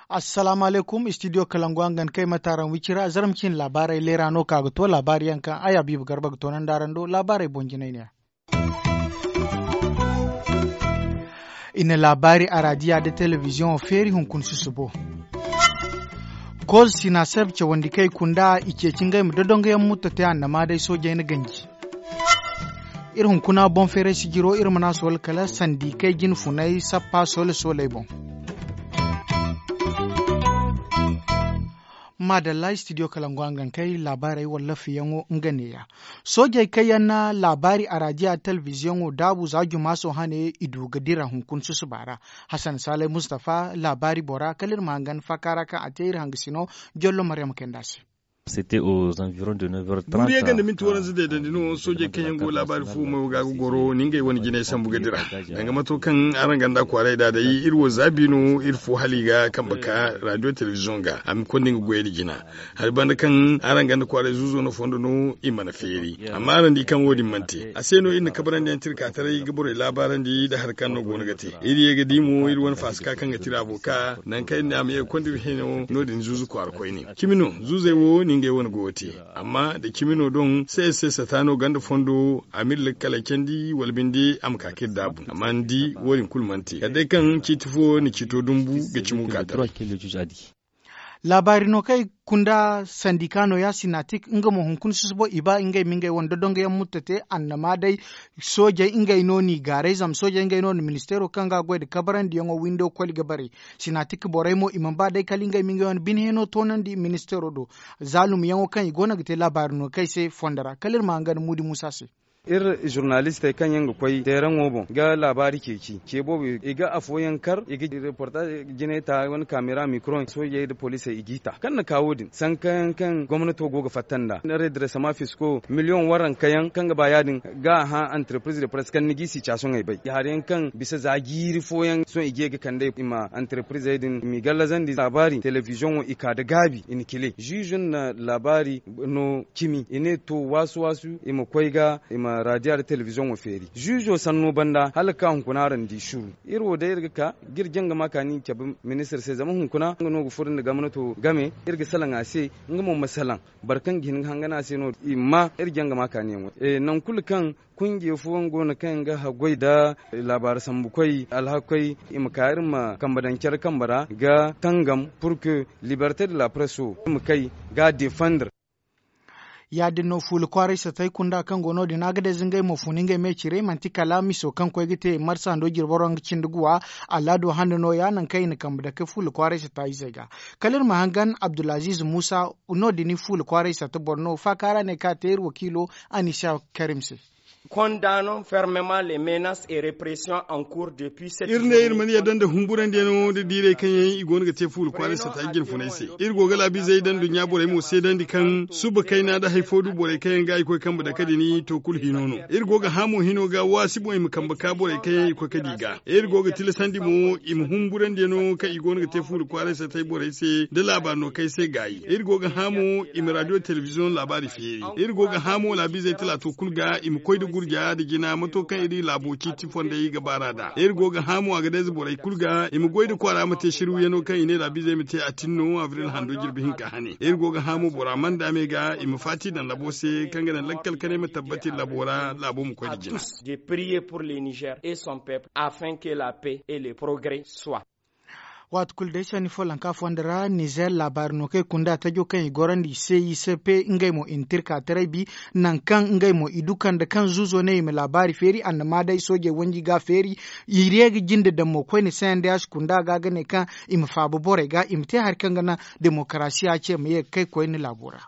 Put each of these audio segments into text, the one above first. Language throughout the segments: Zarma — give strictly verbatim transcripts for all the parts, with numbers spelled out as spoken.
Assalaamu alaykum, istidiyo kalangu a nga ni kay mate araŋ wicira zarma cine laabaarey leera no ka ga to laabaari yaŋ kaŋ ay a biiba garba ga toonandi araŋ do laabaarey boŋ jinay ne ya. I na laabaari araadiya nda telebiziyoŋo feeri hunkuna susubo. Koz sinaseb cawandi kay kunda i ceeci ngey ma dodongoyaŋ mutta te annama day soojey na ganji. Iri hunkuna boŋ feeray sijiro iri mana soole kala sandi kay jine funay sappa soole sooley boŋ. Maadalla istidiyo kalangu a nga ni kay laabaarey wallaafiyaŋo nga neeya. Soojey kaŋ yaŋ na laabaari araadiya telebiziyoŋo daabu za jumaaso hane i du ga dira hunkuna susuba ra. Hasan saalay mustafa laabaari bora kala iri ma hangan faaka ra kaŋ a te iri hangasino jollo maryama kayndi a se. Guuriyaŋ ga nda minti waranza deedandi no soojey kaŋ yaŋ go laabaari fo mayo ga ga goro ni ngey wane jinay sambu ga dira. Danga mato kaŋ araŋ ganda kwaaray da day iri wo zaabi no iri fo hala i ga kambe ka raadiyo telebiziyoŋ ga a ma konda nga goyey da jina. Hari banda kaŋ araŋ ganda kwaaray zuuzo no fondo no i mana feeri amma araŋ di kaŋ wo- din mana te a se no iri na kabarandi yaŋ tirka taray ga borey laabaarandi nda hari kaŋ no go no ga te. Iri ye ga di mo iri wane faasaka kaŋ ga tira avoka nangu kaŋ iri ne a ma ye ga konda iri hino no- din zuuzu kwaara koyne. Cimi no zuuzey wo no ngey wane go ga te. Amma nda cimi no doŋ se se sata no ganda fondo a ma iri lakkaley candi wala binde a ma ka ka iri daabu amma ni di wo- din kulu mana te kala day kaŋ ciiti fo na ciito dumbu ga cimo ka taray. Laabaari no kaŋ i kunda sandika nooya sinatik nga mo hunkuna susubo i ba ngey ma ngey wane dodongoyaŋ mutta te annama day. Soojey ngey no n'i gaaray zama soojey ngey no na ministeero kaŋ ga a goy nda kabarandiyaŋo windo koli ga bare. Sinatik borey mo i mana ba day kala ngey ma ngey wane bine hino toonandi ministeero do. Zaalumyaŋo kaŋ i go no ga te laabaari no kaŋ ay se fondo ra kala iri ma hangan muudi muusa se. Iri zurnalistey kaŋ yaŋ ga koy teeraŋo boŋ ga laabaari ceeci ce boobo i ga afooyaŋ kar i ga reportaaz jinay ta wane kaamera mikro soojey nda poliisey i g'i ta kaŋ na ka wo- din sankayaŋ kaŋ gomnato go ga fatta nd'a redresama fisko miliyoŋ waranka yaŋ kaŋ ga ba ya- din ga a hã anterepiriz de press kaŋ ni g'i sitiyasiyoŋey bay hari yaŋ kaŋ bisa za jiiri fooyaŋ sohõ i ga ye ga kand'ey i ma anterepiriizey din i m'i gallazandi laabaari telebiziyoŋo i ka nda gaabi i na cile ziizo na laabaari no cimi i ne to waasu waasu i ma koy ga i ma raadiya nda telebiziyoŋo feeri ziizo sanno banda hala ga ka hunkuna araŋ di suru. Iri wo day iri ga ka ga iri jangama kaani cabe ministir se zama hunkuna nga no ga furo nda gomnato game iri ga salaŋ a se. Nga mo ma salaŋ boro kaŋ ga hin ga hangan a se no i ma iri jangama kaaniyaŋo nangu kulu kaŋ kunje fooyaŋ go no kaŋ yaŋ ga haggoy nda laabaari sambukoy alhakoy i ma ka iri ma kambe daŋ care kambe ra ga tangam pur que liberte de la presse wo i ma kay ga a defandre. Ya- din no fuula kwaaray satay kunda kaŋ go no- din a ga day za ngey mo fun ngey me cire manti kala miso kaŋ koy ga te marsa ndo jirbo ra nga cindi guwa. Alaado hande nooya nangu kaŋ i na kambe dake fuula kwaaray sata izey ga. Kala iri ma hangan abdulaziz muusa no- din fuula kwaaray sata boro no faaka ra ne kaŋ a te iri wakiilo anisa karim se. Kondaano fermement les menaces et repression en cours depuis cette iri ne iri mana yadda nda humburandiyaŋo nda diirey kaŋ yaŋ i go no ga te fuula kwaaray sata jine funay se. Iri go ga laabiizey nda nduɲɲa borey mo seedandi kaŋ suba kayna nda hari fo du borey kaŋ yaŋ ga i koy kambe dake din to kulu hino no. Iri go ga hã mo hino ga waasi boŋ i ma kambe ka borey kaŋ yaŋ i koy ga di ga iri go ga tilasandi mo i ma humburandiyaŋo kaŋ i go no ga te fuula kwaaray satay borey se nda laabaari no kaŋ ay se gaayi iri go ga hã mo i ma raadiyo telebiziyoŋ laabaari feeri. Iri go ga hã mo laabiizey talaato kulu ga i ma koy nda gurja nda jina mato kaŋ iri laabo ciiti fondey ga baar'a nd'a iri go ga hã mo a ga day za borey kulu ga i ma goy nda kwaara ma te sirwiyano kaŋ i ne laabiizey ma te a tin no abril hando jirbi hinka hane iri go ga hã mo bora manda me ga i ma faati daŋ labo se kaŋ ga naŋ lakkal kanay ma tabbati labo ra laabo ma koy nda jina. De prier pour le niger et son peuple afin que la paix et le progrès soit. Waati kulu day sanni follanka fonda ra nizer laabaari no kaŋ i kunda tajo kaŋ i gorandi i se i se pe ngey mo i na tirka taray bi. Nangu kaŋ ngey mo i du kande kaŋ zuuzo ne i ma laabaari feeri annama day soojey wanji ga a feeri. I re ga jinde daŋ mo koyne se yaŋ day a si kunda ga ga ne kaŋ i ma faaba borey ga i ma te hari kaŋ ga naŋ demokarasiya ce ma ye ga kay koyne laabo ra.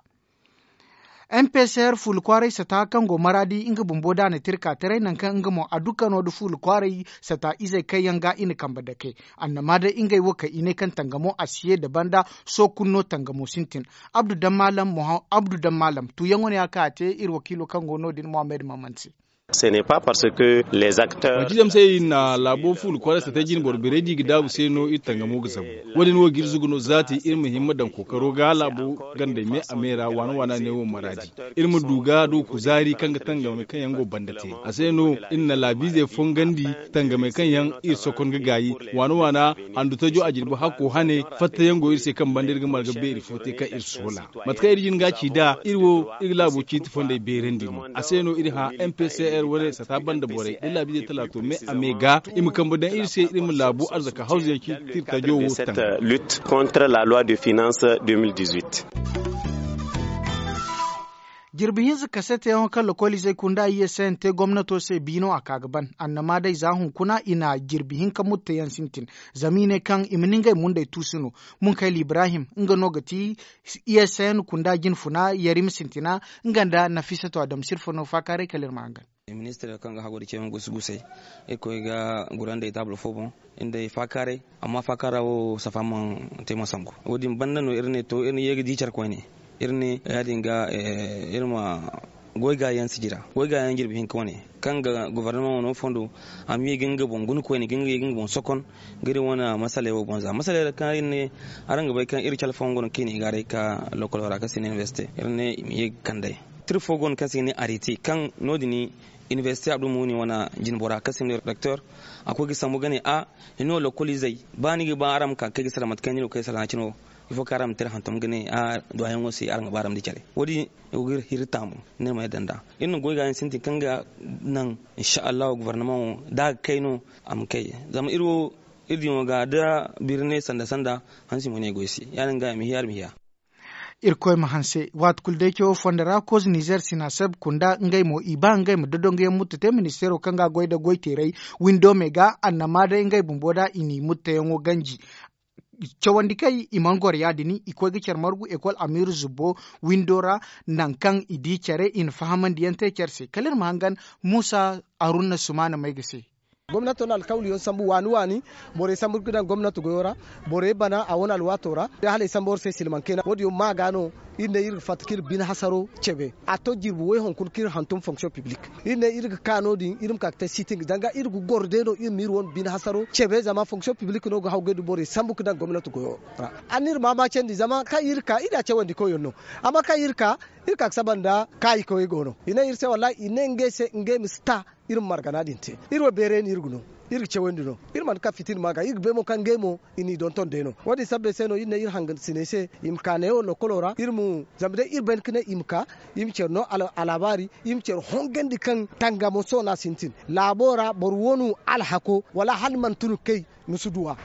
M P C R fuula kwaaray sata kaŋ go maraadi nga bumbo da a na tirka taray nangu kaŋ nga mo a du kano nda fuula kwaaray sata izey kaŋ yaŋ ga i na kambe dake. Annama day ngey wo kaŋ i ne kaŋ tangamo a si ye da banda sookunno tangamo sintin. Abdu dammaalam tuuyaŋo no ya kaŋ a te iri wakiilo kaŋ go no- din mohammed maman se. Manti zama se iri na laabo fuula kwaara sata jine boro beerey da i ga daabu se no iri tangamo ga zabu. Wo- din wo ga iri zugu no zaati iri ma hima daŋ kookaro ga laabo gandey me a me ra waana waana ne wo maraadi. Iri ma du ga du kuzaari kaŋ ga tangamey kaŋ yaŋ go banda te a se no iri na laabiizey fongandi. Tangamey kaŋ yaŋ iri sokon ga gaayi waana waana handu tajo a jirbi hakko hane. Fattayaŋ go iri se kaŋ banda iri ga marga beeri fo te kaŋ iri soola. Mate kaŋ iri jin ga a ci nd'a iri wo iri ga laabo ciiti fondey beerandi no a se no iri hã mpcr wane sata banda borey da laabiizey talaato me a me ga i ma kambe daŋ iri se iri ma laabu arzaka hawzuyaŋ ciiti tirtajo wo taŋ. Jirbi hinza kaseteyaŋo kaŋ lokoliizey kunda i ye se yaŋ te gomnato se biino a ka ga ban annama day za hunkuna i na jirbi hinka mutteyaŋ sintin. Zama i ne kaŋ i ma ni ngey mundey tuusu no. Munkayla ibrahim nga no ga ti i ye se yaŋ kunda jinfuna yarima sintina. Nga nda nafiisato adamsirfo no faakaaray kala iri ma hangan. Ministir kaŋ ga hagu da ceeyaŋ gusu gusay irkoy ga gurandey taabul fo boŋ. Nda ay faakaaray amma faakaara wo safa mana te mana sambu. Wo- din banda no iri ne to iri na ye ga di care koyne. Iri ne ya- din ga iri ma goy gaayaŋ sijira goy gaayaŋ jirbi hinka wane kaŋ ga gobornama wano fondo. A ma ye ga nga boŋ guna koyne ga nga ye ga nga boŋ sokon ga iri wane masaley wo boŋ za masaley ra kaŋ iri ne araŋ ga bay kaŋ iri care fooyaŋ go no kaŋ i na i gaaray ka lokolo ra kaŋ se i ne universite iri ne i ma ye ga kand'ey. Tira fo go no kaŋ se i ga ne arete kaŋ no- din universite abdulmuni wane jinbora kaŋ se i ne rektor a koy ga sambu ga ne a ni no lokoliizey ba ni ga ba araŋ ma ka ga kay ga sara mate kaŋ ni no ga kay sara na cine wo. Ifo kaŋ araŋ ma te iri hantum ga ne a duwayaŋo se araŋ ga ba araŋ ma di care. Wo- din i go ga iri hiri taamu ni iri ma yadda nd'a. Iri na goy ga yaŋ sintin kaŋ ga naŋ insa allahu gobornamaŋo da a ga kay no a ma kay. Zama iri wo iri diyaŋo ga da birne sanda sanda hansi mo ne goy se ya- din ga i ma hiya iri ma hiya. Irkoy ma hanse waati kulu day cawo fondo ra koze nizer sinaseb kunda ngey mo i ba ngey ma dodonguyaŋ mutta te ministeero kaŋ ga a goy nda goy teeray windo me ga annama day ngey bumbo da i n'i muttayaŋo ganji. Cawandi kay i mana goro ya- din i koy ga care margu ekol amiiru zubbo windo ra. Nangu kaŋ i di care i na fahamandiyaŋ te care se kala iri ma hangan muusa arunna sumaana may ga se. Gomnato na alkawliyaŋ sambu waani waani. Borey sambu ga daŋ gomnato goyo ra. Borey bana a wane alwaato ra. Hala ay sambu war se silmaŋ kayna wo- din yaŋ ma ga no. Iri ne iri ga fatta kaŋ iri bine hasaro cebe a to jirbi woy hunkuna kaŋ iri hantum fonction piblik. Iri ne iri ga ka no- din iri ma ka ga te sitin ga danga iri ga goro day no iri ma iri wane bine hasaro cebe zama fonction piblik no ga haw ga ay du borey sambu ga daŋ gomnato goyo ra. Anni iri ma maacandi zama kaŋ iri ka iri a cawandi koyyaŋ no. Amma kaŋ iri ka iri ka ga saba nda kaayikoyey go no i ne iri se wallahi i ne ngey se ngey ma si ta. Iri ma margana din te iri wo beeray no iri ga no. Iri ga cawandi no iri mana ka fitina ma ga iri ga bay mo kaŋ ngey mo i n'i donton day no. Wo- din sabbay se no iri ne iri hangansiney se i ma ka neewo lokkolo ra iri ma zama day iri bay ni ga ne i ma ka i ma care no alaabaari i ma care hongandi kaŋ tangamo sohõ no a sintin. Laabo ra boro wo no alhako wala hala mana tun ga kay. Ni si duw'a.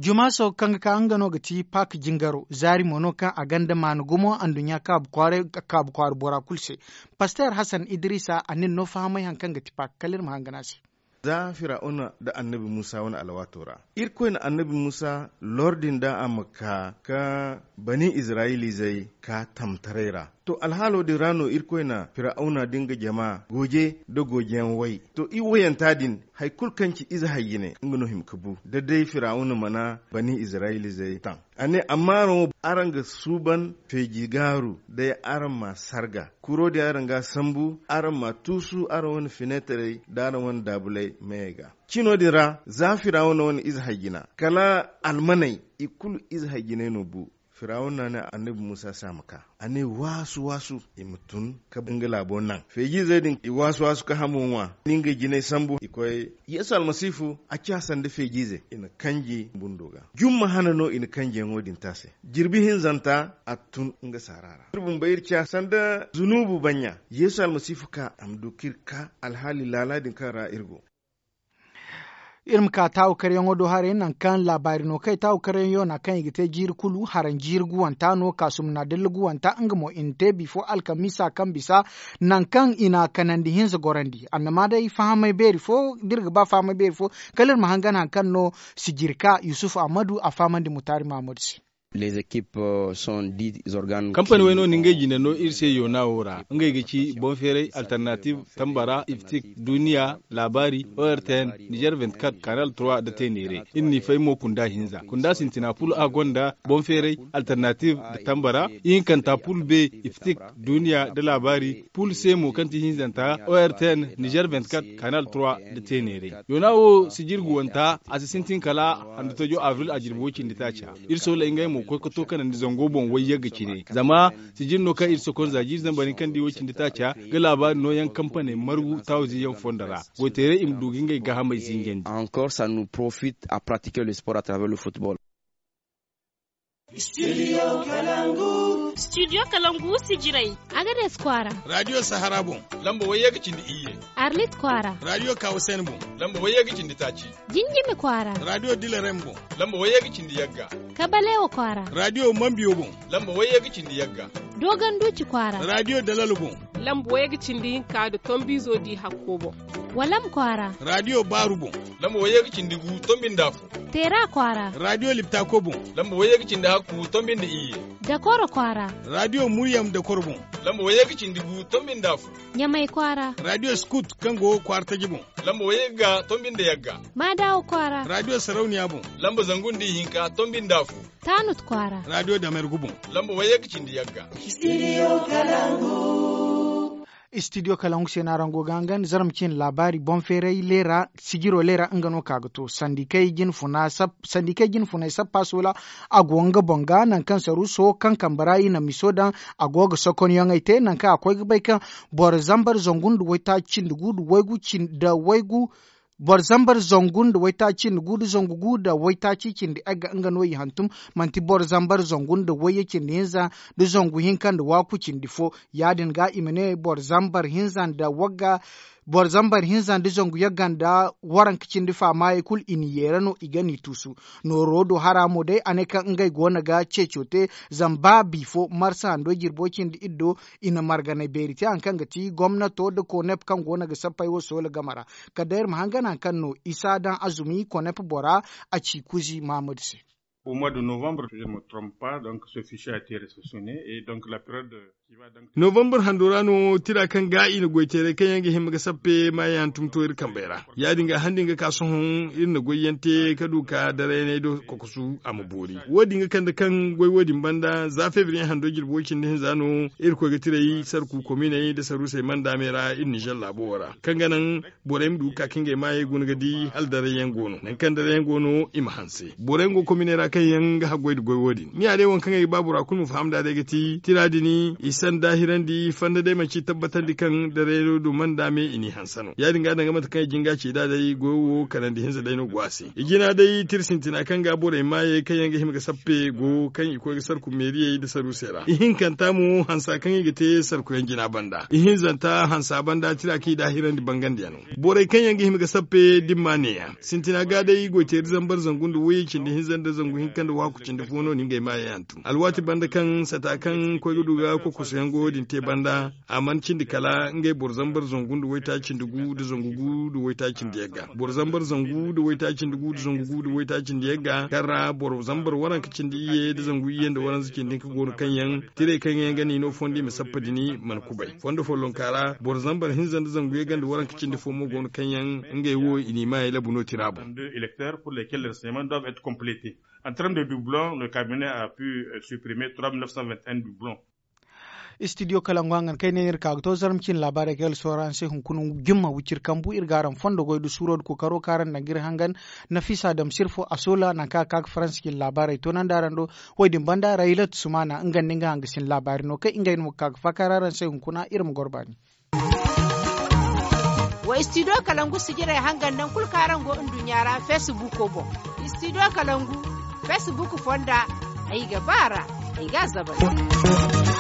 Jumaaso kaŋ ga ka nga no ga ti pak jingaro zaari mo no kaŋ a gonda maana gumo anduɲɲa kaabu kwaara bora kulu se. Pasteer hasan idiriisa a na iri no fahamay hari kaŋ ga ti pak kala iri ma hangan a se. Za firawuna nda annabi muusa wane alwaato ra irkoy na annabi muusa lordi nda a ma ka ka bani izirayiliizey ka tamtaray ra. To alhaalo din ra no irkoy na firawuna nda nga jama gooje nda goojeyaŋ way. To i wayanta din hari kulu kaŋ ci ize hay jine nga no hima ga bu da day firawuna mana bani izirayilizey taŋ. A ne amma araŋ wo araŋ ga suuban feeji gaaru day araŋ ma sarga kuro din araŋ ga a sambu araŋ ma a tuusu araŋ wane fineetarey nda araŋ wane daabuley meyey ga. Cino din ra za firawuna wane ize hay jina kala almaney i kulu ize hay jiney no bu. Firawuna ne annabi muusa se a ma ka a ne waasu waasu i ma tun ka nga laabo naŋ feejiizey din i waasu waasu ka hamo ŋwa ni ngey jinay sambu i koy. Yeesu almasiifu a ciya sanda feejiize i na kanji bundo ga. Jumma hane no i na kanjiyaŋo din te a se. Jirbi hinzanta a tun nga saara ra iri bumbo iri ciya sanda zunuubu banɲa. Yeesu almasiifu ka a ma du ka iri ka alhaali laala din kaŋ ra iri go. Iri ma ka taawu karyaŋo do haray nangu kaŋ laabaari no kay taawu karyaŋ yoona kaŋ i ga te jiiri kulu haraŋ jiiri guwanta no kaasum na dalla guwanta nga mo i na te bifo alkamiisa kaŋ bisa. Nangu kaŋ i na kanandi hinza gorandi annama day fahamay beeri fo da iri ga ba fahamay beeri fo kala iri ma hangan hari kaŋ no sijirka yusuf ahmadu a fahamandi mutaari mahamadu se. Kampani way no ni ngey jine no iri se yoonawo ra ngey ga ci boŋ feeray alternative, tambara iftik, duniya, laabaari, ortn, nizer vingt-quatre, kanal trois nda teeneeray. Iri n'i fay mo kunda hinza kunda sintina pul a gonda boŋ feeray, alternative, nda tambara ihinkanta pul be, iftik, duniya nda laabaari pul se mo kaŋ ti hinzanta ortn, nizer vingt-quatre, kanal trois nda teeneeray. Yoona wo sijir guwanta a si sintin kala handu tajo abril a jirbi woy cindi taaca. Iri sooley ngey mo koy ka to kanandi zango boŋ wayyagga cine zama sijir no kaŋ iri sokonza jiiri zambar hinka nda i woy cindi taaca ga laabaari nooyaŋ kampaney margu taawizi yaŋ fondo ra. Goyteeray i ma du ga ngey gaahamey zinjandi. Encore ça nous profite à pratiquer le sport à travers le football. Studio kalangu sijirey. Agades kwaara. Radio sahara boŋ. Lamba wayye ga cindi iyye. Arlit kwaara. Radio kawasen boŋ. Lamba wayye ga cindi taaci. Jinjimi kwaara. Radio dilarem boŋ. Lamba wayye ga cindi yagga. Kabalewa kwaara. Radio mambiyo boŋ. Lamba wayye ga cindi yagga. Dogon duci kwaara. Radio dalalo boŋ. Lamba wayye ga cindi hinka nda tombizo di hakko boŋ. Walam kwaara. Radio baaru boŋ. Lamba wayye ga cindi gu tombi nda afo. Teera kwaara. Radio liptako boŋ. Lamba wayye ga cindi hakku tombi nda iyye. Dakoro kwaara. Radio muryam dakoro boŋ. Lamba wayye ga cindi gu tombi nda afo. Ɲamay kwaara. Radio skut kaŋ go kwaara taji boŋ. Lamba wayye ga tombi nda yagga. Maadawa kwaara. Radio sarauniya boŋ. Lamba zangu nda ihinka tombi nda afo. Tanut kwaara. Radio damergu boŋ. Lamba wayye ga cindi yagga. Studio kalangu se no araŋ go ga hangan zarma cine laabaari boŋ feeray leera sijiro leera nga no ka ga to sandikey jine funay sappa soola. A go nga boŋ ga nangu kaŋ saruuso kaŋ kambe ra i na miso daŋ a go ga sokonyaŋey te nangu kaŋ a koy ga bay kaŋ boro zambar zangu nda waytaaci cindi gu nda waygu cindi nda waygu boro zambar zangu nda waytaaci cindi gu nda zangu gu nda waytaaci cindi egga nga no i hantum. Manti boro zambar zangu nda wayye cindi hinza nda zangu hinka nda waaku cindi fo. Ya- din ga i ma ne boro zambar hinza nda wagga boro zambar hinza nda zangu yagga nda waranka cindi faamaayey kulu i na yeera no i ga n'i tuusu. Nooro do hara mo day a ne kaŋ ngey go no ga ceeco te zama ba bifo marsa hando jirbo cindi iri do i na marganay beeri te hari kaŋ ga ti gomnato nda konep kaŋ go no ga sappey wo soola game ra. Kala day iri ma hangan hari kaŋ no isa daŋ azumi konep bora a ci kuzi mahamadu se. Au mois de novembre je me trompe pas donc ce fichier a été receptionné et donc la période. Novembre hando ra no tira kaŋ ga i na goy teeray kaŋ yaŋ ga hima ga sappe maayaŋ tumto iri kambey ra. Ya- din ga handi nga ka sohõ iri na goyyaŋ te ka du ka darayaney do kokosu a ma boori wo- din ga kande kaŋ goy wo- din banda za febriye hando jirbi way cindi hinza no. Iri koy ga tiray sarku kominey nda saruusey manda me ra iri nizer laabo wo ra kaŋ ga naŋ borey ma du ga ka kaŋ ngey maayey guna ga di hala daray yaŋ go no nangu kaŋ daray yaŋ go no i ma hanse borey yaŋ go kominey ra kaŋ yaŋ ga haggoy nda goy wo- din ni ya day waŋ kaŋ ay ga ba bora kulu ma faham nd'a day ga ti tira din i sanda hirandi fanda day manci tabbatandi kaŋ daray no du manda me i n'i hanse no ya- din ga danga mate kaŋ ay jin ga ci nd'a day goyo wo kanandi hinza day no go a se i jina day tira sintina kaŋ ga borey maayey kaŋ yaŋ ga hima ga sappe go kaŋ i koy ga sarku meeriyey nda saruusey ra ihinkanta mo hansa kaŋ i ga te sarkuyaŋ jina banda ihinzanta hansa banda tira kaŋ i daahirandi bangandi yaŋ no. Borey kaŋ yaŋ ga hima ga sappe dimma neeya sintina ga day goy teeri zambar zangu nda wayye cindi hinza nda zangu hinka nda waaku cindi fo no ni ngey maayey hantum alwaati banda kaŋ sata kaŋ koy ga du ga kokoso yaŋ go wo- din te banda a mana cindi kala ngey boro zambar zangu nda waytaaci cindi gu nda zangu gu nda waytaaci cindi yagga boro zambar zangu nda waytaaci cindi gu nda zangu gu nda waytaaci cindi yagga kaŋ ra boro zambar waranka cindi iyye nda zangu iyye nda waranza cindi hinka go no kaŋ yaŋ tirey kaŋ yaŋ ga n'i no fondo i ma sappa din mana kubay fondo follonka ra boro zambar hinza nda zangu yagga nda waranka cindi fo mo go no kaŋ yaŋ ngey wo i n'i maayey labu no tira boŋ. Deux électeurs pour lesquels les renseignements doivent être complétés en termes de doublons le cabinet a pu supprimer trois mille neuf cent vingt et un doublons. Studio kalangu hangan kaŋ ay ne no iri ka ga to zarma cine laabaarey kaŋ ay ga sohõ araŋ se hunkuna jumma wiciri kambu iri ga araŋ fondo goy nda suuro nda kookaro kaŋ araŋ na daŋ ga iri hangan. Nafisa dam sirfo a soola nangu kaŋ a ga ka ga faransa cine laabaarey toonandi araŋ do. Wo- din banda raylat sumana nga nda nga hangasin laabaari no kaŋ ngey no ga ka ga faakar araŋ se hunkuna iri ma goro baani. Wa studio kalangu sijirey hangan nangu kulu kaŋ araŋ go nduɲɲa ra facebook boŋ. Studio kalangu facebook fonda ay ga ba a ra ay ga a zabari.